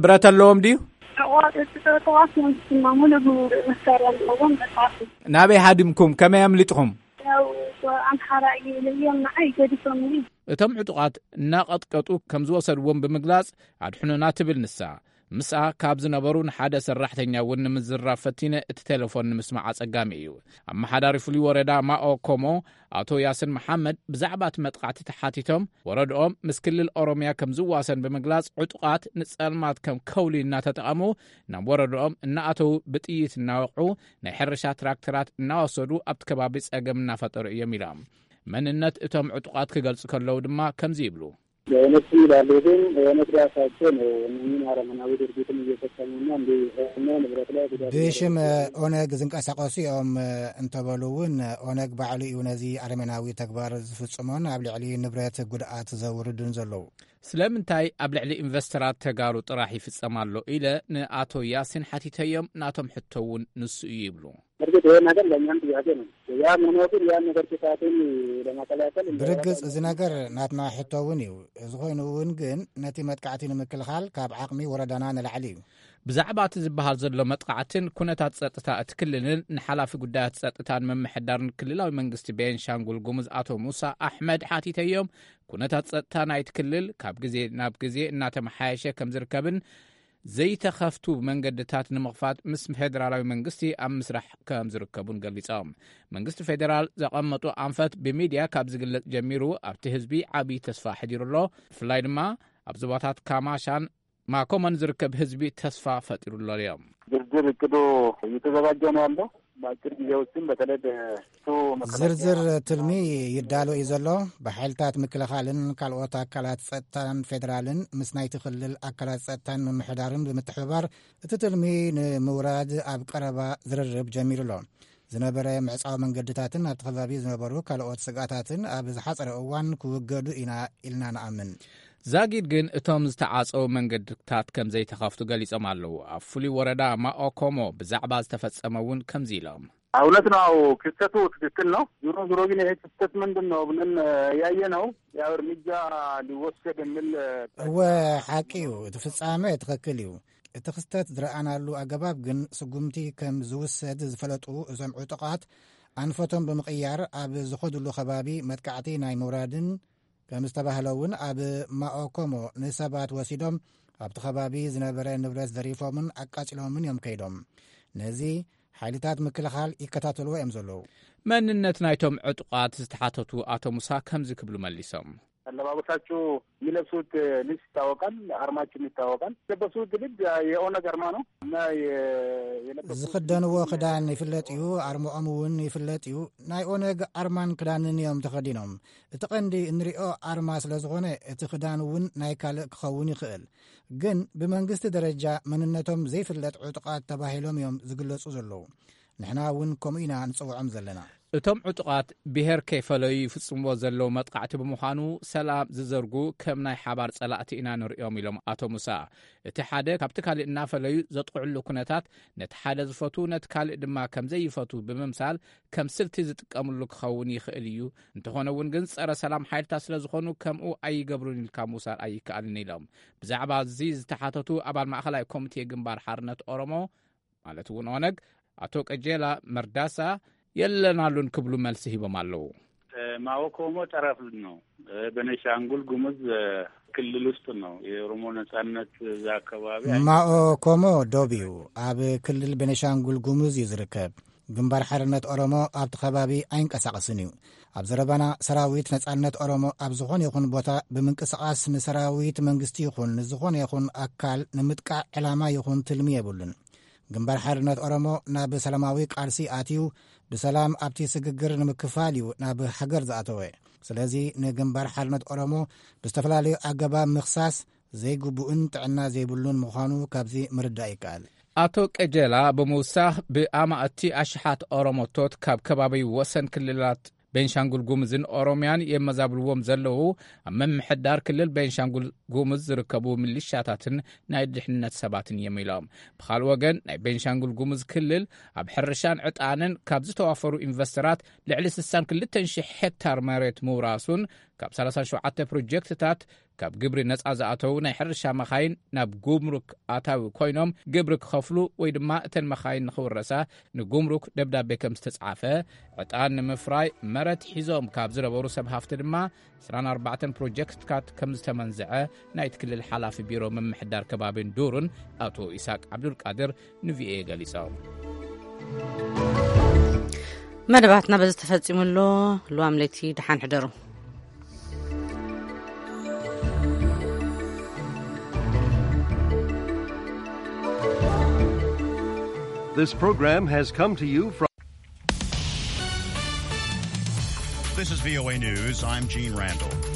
ብረት ኣለዎም ድዩ? ተቋዋት ተቋዋት እዮም ዝስማሙ፣ ንብሉ መሳርያ ኣለዎም። መጽሓፍ ናበይ ሃዲምኩም? ከመይ ኣምሊጥኹም? ያው ኣምሓራ እዩ ኢለዮም፣ ንዓይ ገዲፎምኒ። እቶም ዕጡቓት እናቐጥቀጡ ከም ዝወሰድዎም ብምግላጽ፣ ኣድሕኑና ትብል ንሳ። ምስኣ ካብ ዝነበሩ ንሓደ ሰራሕተኛ እውን ንምዝራብ ፈቲነ፣ እቲ ቴሌፎን ንምስማዕ ኣጸጋሚ እዩ። ኣመሓዳሪ ፍሉይ ወረዳ ማኦ ኮሞ ኣቶ ያስን መሓመድ ብዛዕባ እቲ መጥቃዕቲ ተሓቲቶም፣ ወረድኦም ምስ ክልል ኦሮምያ ከም ዝዋሰን ብምግላጽ፣ ዕጡቓት ንጸልማት ከም ከውሊ እናተጠቐሙ ናብ ወረድኦም እናኣተዉ፣ ብጥይት እናወቕዑ፣ ናይ ሕርሻ ትራክተራት እናወሰዱ ኣብቲ ከባቢ ጸገም እናፈጠሩ እዮም ኢሎም። መንነት እቶም ዕጡቓት ክገልጹ ከለዉ ድማ ከምዚ ይብሉ። የእነሱ ይላሉ፣ ግን የእነት ራሳቸው ነው እነዚህን አረመናዊ ድርጊትን እየፈጸሙና እንዲ ንብረት ላይ ጉዳት ብሽም ኦነግ ዝንቀሳቐሱ እዮም እንተበሉ እውን፣ ኦነግ ባዕሉ እዩ ነዚ ኣረሜናዊ ተግባር ዝፍጽሞን ኣብ ልዕሊ ንብረት ጉድኣት ዘውርድን ዘለዉ። ስለምንታይ ኣብ ልዕሊ ኢንቨስተራት ተጋሩ ጥራሕ ይፍጸም ኣሎ ኢለ ንኣቶ ያሲን ሓቲተዮም፣ ናቶም ሕቶ እውን ንሱ እዩ ይብሉ። እርግጥ ይሄ ነገር ለእኛም ጥያቄ ነው። ያም ሆኖ ግን ያን ነገር ክፋቱን ለመከላከል እንደ ብርግጽ፣ እዚ ነገር ናትና ሕቶ እውን እዩ። እዚ ኮይኑ እውን ግን ነቲ መጥቃዕቲ ንምክልኻል ካብ ዓቕሚ ወረዳና ንላዕሊ እዩ። ብዛዕባ እቲ ዝበሃል ዘሎ መጥቃዕትን ኩነታት ጸጥታ እቲ ክልልን ንሓላፊ ጉዳያት ጸጥታን ምምሕዳርን ክልላዊ መንግስቲ ቤንሻንጉል ጉሙዝ ኣቶ ሙሳ ኣሕመድ ሓቲተዮም። ኩነታት ጸጥታ ናይቲ ክልል ካብ ግዜ ናብ ግዜ እናተመሓየሸ ከም ዝርከብን ዘይተኸፍቱ መንገድታት ንምኽፋት ምስ ፌደራላዊ መንግስቲ ኣብ ምስራሕ ከም ዝርከቡን ገሊጾም። መንግስቲ ፌደራል ዘቐመጡ ኣንፈት ብሚድያ ካብ ዝግለጽ ጀሚሩ ኣብቲ ህዝቢ ዓብዪ ተስፋ ኣሕዲሩ ኣሎ። ብፍላይ ድማ ኣብ ዞባታት ካማሻን ማኮመን ዝርከብ ህዝቢ ተስፋ ፈጢሩሎ እዮም። ዝርዝር እቅዱ እየተዘጋጀ ነው ያለው። በአጭር ጊዜ ውስጥም በተለይ በሱ መከላከያ ዝርዝር ትልሚ ይዳሎ እዩ ዘሎ። ብሓይልታት ምክልኻልን ካልኦት ኣካላት ጸጥታን ፌደራልን ምስ ናይቲ ክልል ኣካላት ጸጥታን ምምሕዳርን ብምትሕብባር እቲ ትልሚ ንምውራድ ኣብ ቀረባ ዝርርብ ጀሚሩ ኣሎ። ዝነበረ ምዕጻው መንገድታትን ኣብቲ ከባቢ ዝነበሩ ካልኦት ስግኣታትን ኣብ ዝሓጸረ እዋን ክውገዱ ኢና ኢልና ንኣምን። ዛጊድ ግን እቶም ዝተዓጸዉ መንገድታት ከም ዘይተኸፍቱ ገሊጾም ኣለዉ። ኣብ ፍሉይ ወረዳ ማኦኮሞ ብዛዕባ ዝተፈጸመ እውን ከምዚ ኢሎም። እውነት ነው። አዎ፣ ክስተቱ ትክክል ነው። ዞሮ ዞሮ ግን ይሄ ክስተት ምንድን ነው ብለን ያየ ነው ያው እርምጃ ሊወሰድ የሚል እወ፣ ሓቂ እዩ። እቲ ፍጻመ ትኽክል እዩ። እቲ ክስተት ዝረኣናሉ ኣገባብ ግን ስጉምቲ ከም ዝውሰድ ዝፈለጡ እዞም ዕጡቓት ኣንፈቶም ብምቕያር ኣብ ዝኸድሉ ከባቢ መጥቃዕቲ ናይ ምውራድን ከም ዝተባህለ እውን ኣብ ማኦኮሞ ንሰባት ወሲዶም ኣብቲ ከባቢ ዝነበረ ንብረት ዘሪፎምን ኣቃጺሎምን እዮም ከይዶም። ነዚ ሓይልታት ምክልኻል ይከታተልዎ እዮም ዘለዉ። መንነት ናይቶም ዕጡቓት ዝተሓተቱ ኣቶ ሙሳ ከምዚ ክብሉ መሊሶም። አለባበሳቸው የሚለብሱት ልብስ ይታወቃል፣ አርማቸውም ይታወቃል። የለበሱት ልብስ የኦነግ አርማ ነው እና የ-፣ የለበሱት ዝኽደንዎ ክዳን ይፍለጥ እዩ፣ ኣርማኦም እውን ይፍለጥ እዩ። ናይ ኦነግ ኣርማን ክዳንን እዮም ተኸዲኖም። እቲ ቀንዲ እንሪኦ ኣርማ ስለ ዝኾነ እቲ ክዳን እውን ናይ ካልእ ክኸውን ይኽእል። ግን ብመንግስቲ ደረጃ መንነቶም ዘይፍለጥ ዕጡቓት ተባሂሎም እዮም ዝግለጹ ዘለዉ። ንሕና እውን ከምኡ ኢና ንጽውዖም ዘለና። እቶም ዕጡቓት ብሄር ከይፈለዩ ይፍጽምዎ ዘለዉ መጥቃዕቲ ብምዃኑ ሰላም ዝዘርጉ ከም ናይ ሓባር ጸላእቲ ኢና ንርእዮም ኢሎም ኣቶ ሙሳ። እቲ ሓደ ካብቲ ካልእ እናፈለዩ ዘጥቕዕሉ ኩነታት ነቲ ሓደ ዝፈቱ ነቲ ካልእ ድማ ከም ዘይፈቱ ብምምሳል ከም ስልቲ ዝጥቀምሉ ክኸውን ይኽእል እዩ። እንተኾነ እውን ግን ጸረ ሰላም ሓይልታት ስለ ዝኾኑ ከምኡ ኣይገብሩን ኢልካ ምውሳድ ኣይከኣልን ኢሎም። ብዛዕባ እዚ ዝተሓተቱ ኣባል ማእኸላይ ኮሚቴ ግንባር ሓርነት ኦሮሞ ማለት እውን ኦነግ ኣቶ ቀጀላ መርዳሳ የለናሉን ክብሉ መልሲ ሂቦም ኣለዉ። ማኦ ኮሞ ጠረፍ ነው። በነሻንጉል ጉሙዝ ክልል ውስጥ ነው። የኦሮሞ ነጻነት እዛ አካባቢ አይ- ማኦ ኮሞ ዶብ እዩ። ኣብ ክልል ቤኒሻንጉል ጉሙዝ እዩ ዝርከብ። ግንባር ሓርነት ኦሮሞ ኣብቲ ከባቢ ኣይንቀሳቐስን እዩ። ኣብ ዘረባና ሰራዊት ነጻነት ኦሮሞ ኣብ ዝኾነ ይኹን ቦታ ብምንቅስቓስ ንሰራዊት መንግስቲ ይኹን ንዝኾነ ይኹን ኣካል ንምጥቃዕ ዕላማ ይኹን ትልሚ የብሉን። ግንባር ሓርነት ኦሮሞ ናብ ሰላማዊ ቃልሲ ኣትዩ ብሰላም ኣብቲ ስግግር ንምክፋል እዩ ናብ ሃገር ዝኣተወ። ስለዚ ንግንባር ሓርነት ኦሮሞ ብዝተፈላለዩ ኣገባብ ምኽሳስ ዘይግቡእን ጥዕና ዘይብሉን ምዃኑ ካብዚ ምርዳእ ይከኣል። ኣቶ ቀጀላ ብምውሳኽ ብኣማእቲ ኣሽሓት ኦሮሞቶት ካብ ከባቢ ወሰን ክልላት ቤንሻንጉል ጉምዝን ኦሮሚያን የመዛብልዎም ዘለዉ ኣብ ምምሕዳር ክልል ቤንሻንጉል ጉምዝ ዝርከቡ ሚሊሻታትን ናይ ድሕነት ሰባትን እዮም ኢሎም። ብኻልእ ወገን፣ ናይ ቤንሻንጉል ጉምዝ ክልል ኣብ ሕርሻን ዕጣንን ካብ ዝተዋፈሩ ኢንቨስተራት ልዕሊ ስሳን ክልተን ሽሕ ሄክታር መሬት ምውራሱን ካብ ሰላሳን ሸውዓተ ፕሮጀክትታት ካብ ግብሪ ነጻ ዝኣተዉ ናይ ሕርሻ መኻይን ናብ ጉምሩክ ኣታዊ ኮይኖም ግብሪ ክኸፍሉ ወይ ድማ እተን መኻይን ንኽውረሳ ንጉምሩክ ደብዳቤ ከም ዝተጻፈ፣ ዕጣን ንምፍራይ መረት ሒዞም ካብ ዝነበሩ ሰብ ሃፍቲ ድማ ዕስራን ኣርባዕተን ፕሮጀክትታት ከም ዝተመንዝዐ ናይቲ ክልል ሓላፊ ቢሮ ምምሕዳር ከባቢን ዱርን ኣቶ ኢሳቅ ዓብዱልቃድር ንቪኦኤ ገሊጾም። መደባትና በዚ ተፈጺሙ ኣሎ። ልዋም ለይቲ ደሓን ሕደሩ። This program has come to you from This is V O A News. I'm Gene Randall.